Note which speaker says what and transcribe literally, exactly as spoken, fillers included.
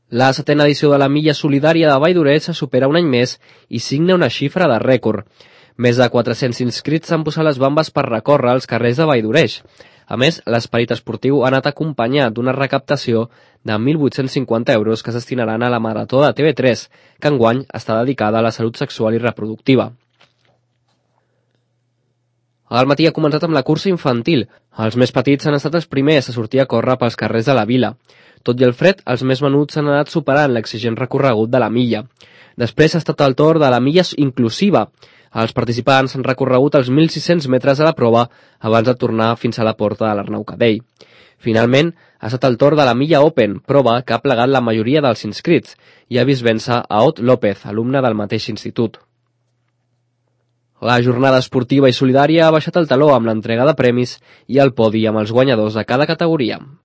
Speaker 1: La setena edició de la Milla Solidària de Vall d'Oreix se supera un any més i signa una xifra de rècord. Més de quatre-cents inscrits s'han posat les bambes per recórrer els carrers de Vall d'Oreix. A més, l'esperit esportiu ha anat acompanyat d'una recaptació de mil vuit-cents cinquanta euros que es destinaran a la Marató de T V tres, que enguany està dedicada a la salut sexual i reproductiva. Al matí ha començat amb la cursa infantil. Els més petits han estat els primers a sortir a córrer pels carrers de la vila. Tot i el fred, els més menuts s'han anat superant l'exigent recorregut de la milla. Després ha estat el torn de la milla inclusiva. Els participants han recorregut els mil sis-cents metres de la prova abans de tornar fins a la porta de l'Arnau Cadell. Finalment, ha estat el torn de la milla Open, prova que ha plegat la majoria dels inscrits, i ha vist vèncer a Ot López, alumne del mateix institut. La jornada esportiva i solidària ha baixat el taló amb l'entrega de premis i el podi amb els guanyadors de cada categoria.